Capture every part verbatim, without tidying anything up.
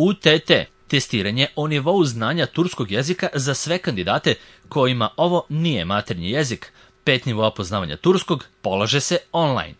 U T T – testiranje o nivou znanja turskog jezika za sve kandidate kojima ovo nije maternji jezik. Pet nivoa poznavanja turskog polaže se online.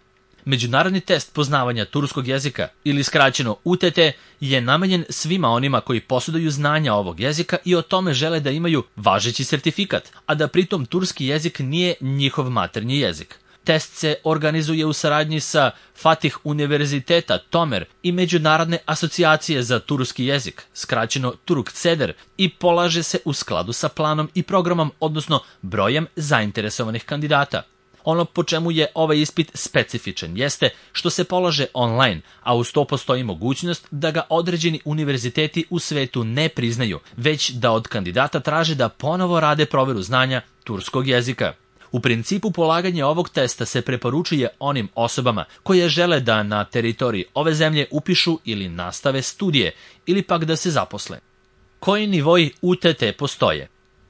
Međunarodni test poznavanja turskog jezika, ili skraćeno U T T, je namenjen svima onima koji posjeduju znanja ovog jezika i o tome žele da imaju važeći sertifikat, a da pritom turski jezik nije njihov maternji jezik. Test se organizuje u saradnji sa Fatih Univerziteta Tomer i Međunarodne asocijacije za turski jezik, skraćeno Turkceder, i polaže se u skladu sa planom i programom, odnosno brojem zainteresovanih kandidata. Ono po čemu je ovaj ispit specifičan jeste što se polaže online, a uz to postoji mogućnost da ga određeni univerziteti u svetu ne priznaju, već da od kandidata traže da ponovo rade proveru znanja turskog jezika. U principu polaganje ovog testa se preporučuje onim osobama koje žele da na teritoriji ove zemlje upišu ili nastave studije ili pak da se zaposle. Koji nivoi U T T postoje?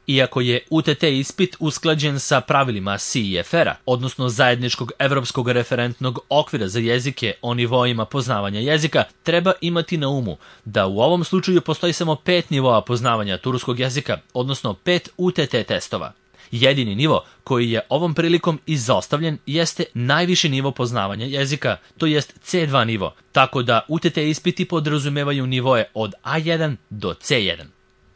Iako je U T T ispit usklađen sa pravilima C I F R-a, odnosno Zajedničkog evropskog referentnog okvira za jezike o nivoima poznavanja jezika, treba imati na umu da u ovom slučaju postoji samo pet nivoa poznavanja turskog jezika, odnosno pet U T T testova. Jedini nivo koji je ovom prilikom izostavljen jeste najviši nivo poznavanja jezika, to jest C dva nivo, tako da U T T ispiti podrazumevaju nivoe od A jedan do C jedan.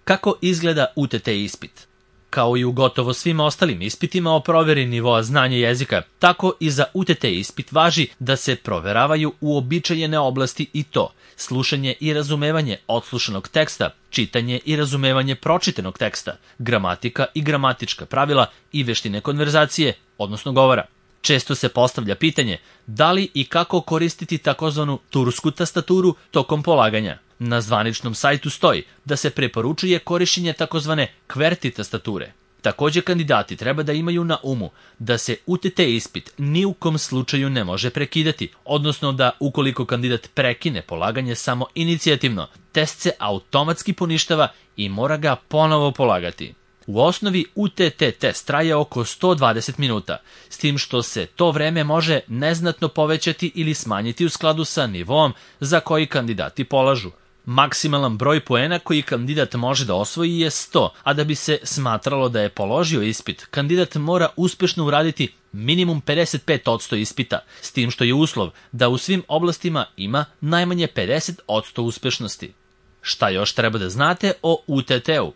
Kako izgleda U T T ispit? Kao i u gotovo svim ostalim ispitima o proveri nivoa znanja jezika, tako i za U T T ispit važi da se proveravaju uobičajene oblasti i to slušanje i razumevanje odslušanog teksta, čitanje i razumevanje pročitanog teksta, gramatika i gramatička pravila i veštine konverzacije, odnosno govora. Često se postavlja pitanje da li i kako koristiti takozvanu tursku tastaturu tokom polaganja. Na zvaničnom sajtu stoji da se preporučuje korišćenje takozvane kverti tastature. Također kandidati treba da imaju na umu da se U T T ispit ni u kom slučaju ne može prekidati, odnosno da ukoliko kandidat prekine polaganje samo inicijativno, test se automatski poništava i mora ga ponovo polagati. U osnovi U T T test traje oko sto dvadeset minuta, s tim što se to vreme može neznatno povećati ili smanjiti u skladu sa nivoom za koji kandidati polažu. Maksimalan broj poena koji kandidat može da osvoji je sto, a da bi se smatralo da je položio ispit, kandidat mora uspešno uraditi minimum pedeset pet posto ispita, s tim što je uslov da u svim oblastima ima najmanje pedeset posto uspešnosti. Šta još treba da znate o U T T-u?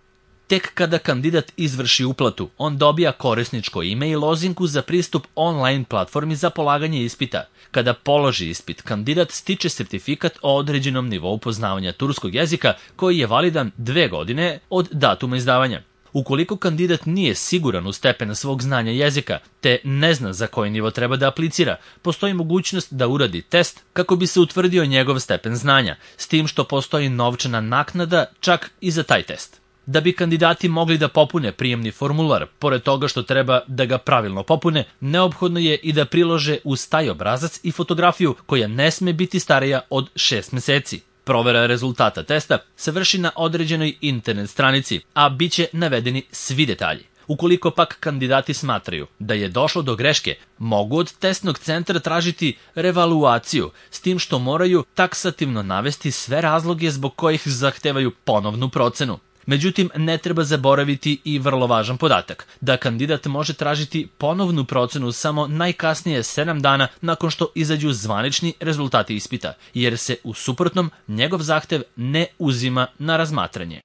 Tek kada kandidat izvrši uplatu, on dobija korisničko ime i lozinku za pristup online platformi za polaganje ispita. Kada položi ispit, kandidat stiče sertifikat o određenom nivou poznavanja turskog jezika koji je validan dve godine od datuma izdavanja. Ukoliko kandidat nije siguran u stepen svog znanja jezika, te ne zna za koji nivo treba da aplicira, postoji mogućnost da uradi test kako bi se utvrdio njegov stepen znanja, s tim što postoji novčana naknada čak i za taj test. Da bi kandidati mogli da popune prijemni formular, pored toga što treba da ga pravilno popune, neophodno je i da prilože uz taj obrazac i fotografiju koja ne sme biti starija od šest meseci. Provera rezultata testa se vrši na određenoj internet stranici, a bit će navedeni svi detalji. Ukoliko pak kandidati smatraju da je došlo do greške, mogu od testnog centra tražiti revaluaciju, s tim što moraju taksativno navesti sve razloge zbog kojih zahtevaju ponovnu procenu. Međutim, ne treba zaboraviti i vrlo važan podatak, da kandidat može tražiti ponovnu procenu samo najkasnije sedam dana nakon što izađu zvanični rezultati ispita, jer se u suprotnom njegov zahtev ne uzima na razmatranje.